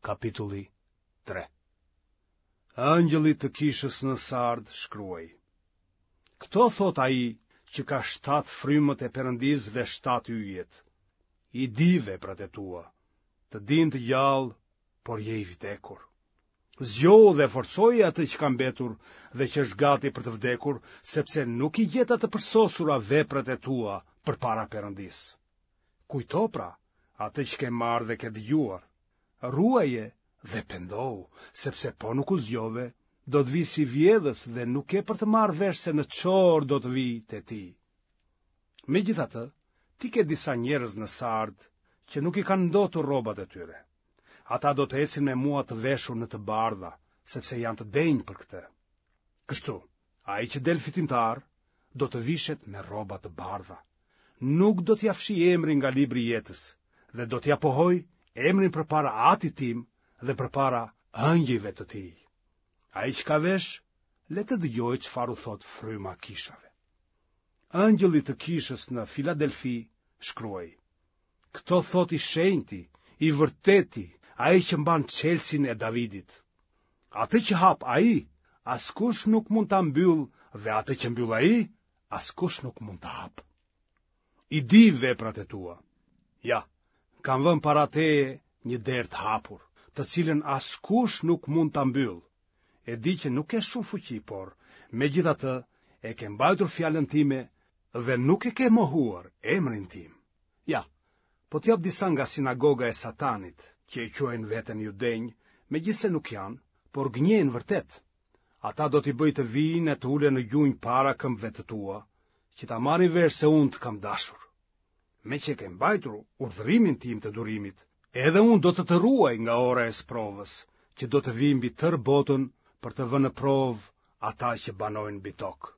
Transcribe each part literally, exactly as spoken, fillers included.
Kapitulli tre. Engjëllit të kishës në Sard shkruaj. Këto thotë ai që ka shtatë frymët e Perëndisë dhe shtatë yjet. I di veprat e tua, të din të gjallë, por je i vdekur. Zgjohu dhe forcoje atë që ka mbetur dhe që është gati për të vdekur, sepse nuk i gjeta të përsosura veprat e tua përpara Perëndisë. Kujto pra atë që ke marrë dhe ke dëgjuar, ruaje dhe pendohu, sepse po nuk u zgjove, do të vij si vjedhës dhe nuk ke për të marrë vesh se në ç'orë do të vij te ti. Megjithatë, ti ke disa njerëz në Sard që nuk i kanë ndotur rrobat e tyre. Ata do të ecin me mua të veshur në të bardha, sepse janë të denjë për këtë. Kështu, ai që del fitimtar do të vishet me rroba të bardha. Nuk do t'ia fshij emrin nga libri i jetës dhe do t'ia pohoj emrin përpara Atit tim dhe përpara ëngjëjve të tij. Ai që ka vesh, le të dëgjojë çfarë u thotë fryma kishave. Engjëllit të kishës në Filadelfi shkruaj. Këto thotë i shenjti, i vërteti, ai që mban çelësin e Davidit. Atë që hap ai, askush nuk mund ta mbyllë dhe atë që mbyll ai, askush nuk mund ta hapë. I di veprat e tua. Ja, kam vënë para teje një derë të hapur, të cilën askush nuk mund ta mbyllë. E di që nuk ke shumë fuqi, por megjithatë e ke mbajtur fjalën time dhe nuk e ke mohuar emrin tim. Ja, po të jap disa nga sinagoga e Satanit, që e quajnë veten judenj, megjithëse nuk janë, por gënjejnë vërtet. Ata do t'i bëj të vijnë e të ulen në gjunjë para këmbëve të tua, që ta marrin vesh se unë të kam dashur. Meqë e ke mbajtur urdhërimin tim të durimit, edhe unë do të të ruaj nga ora e sprovës, që do të vijë mbi tërë botën për të vënë në provë ata që banojnë mbi tokë.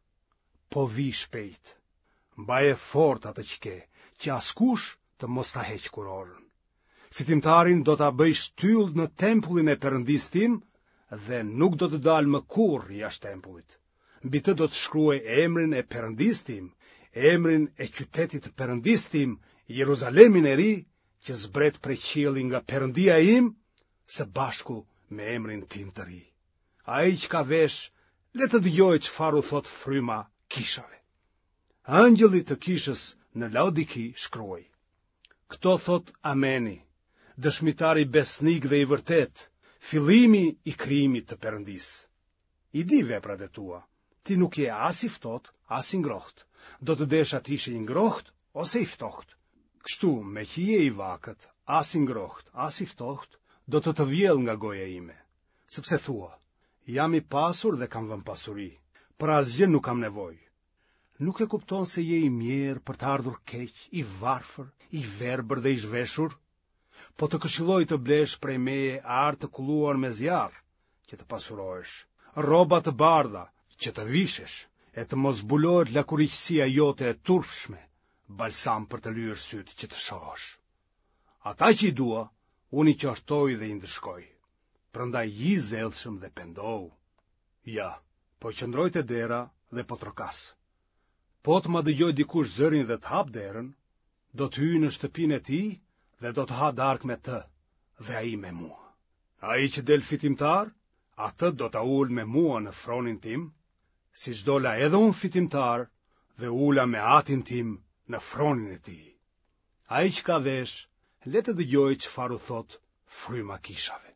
Po vij shpejt. Mbaje fort atë që ke, që askush të mos ta heqë kurorën. Fitimtarin do ta bëj shtyllë në tempullin e Perëndisë tim dhe nuk do të dalë më kurrë jashtë tempullit. Mbi të do të shkruaj emrin e Perëndisë tim, emrin e qytetit të Perëndisë tim, Jeruzalemin e ri, që zbret prej qielli nga Perëndia im, së bashku me emrin tim të ri. Ai që ka vesh, le të dëgjojë çfarë u thotë fryma kishave. Engjëllit të kishës në Laodiki shkruaj. Këto thotë Ameni, dëshmitari besnik dhe i vërtetë, fillimi i krijimit të Perëndisë. I di veprat e tua, ti nuk je as i ftohtë, as i ngrohtë. Do të desha të ishe i ngrohtë ose i ftohtë. Kështu, meqë je i vakët, as i ngrohtë, as i ftohtë, do të të vjell nga goja ime. Sepse thua, jam i pasur dhe kam vënë pasuri, për asgjë nuk kam nevojë. Nuk e kupton se je i mjerë për të ardhur keq, i varfër, i verbër dhe i zhveshur? Po të këshilloj të blesh prej meje ar të kulluar me zjarr, që të pasurohesh, rroba të bardha, që të vishesh, e të mos zbulohet lakuriqësia jote e turpshme, balsam për të lyer sytë që të shohësh. Ata që i dua, unë i qortoj dhe i ndëshkoj. Prandaj ji i zellshëm dhe pendohu. Ja, po qëndroj te dera dhe po trokas. Po të ma dëgjojë dikush zërin dhe të hapë derën, do të hyj në shtëpinë e tij dhe do të ha darkë me të dhe ai me mua. Ai që del fitimtar, atë do ta ul me mua në fronin tim, siç dola edhe unë fitimtar dhe u ula me atin tim në fronin e tij. Ai që ka vesh, le të dëgjojë çfarë u thotë fryma kishave.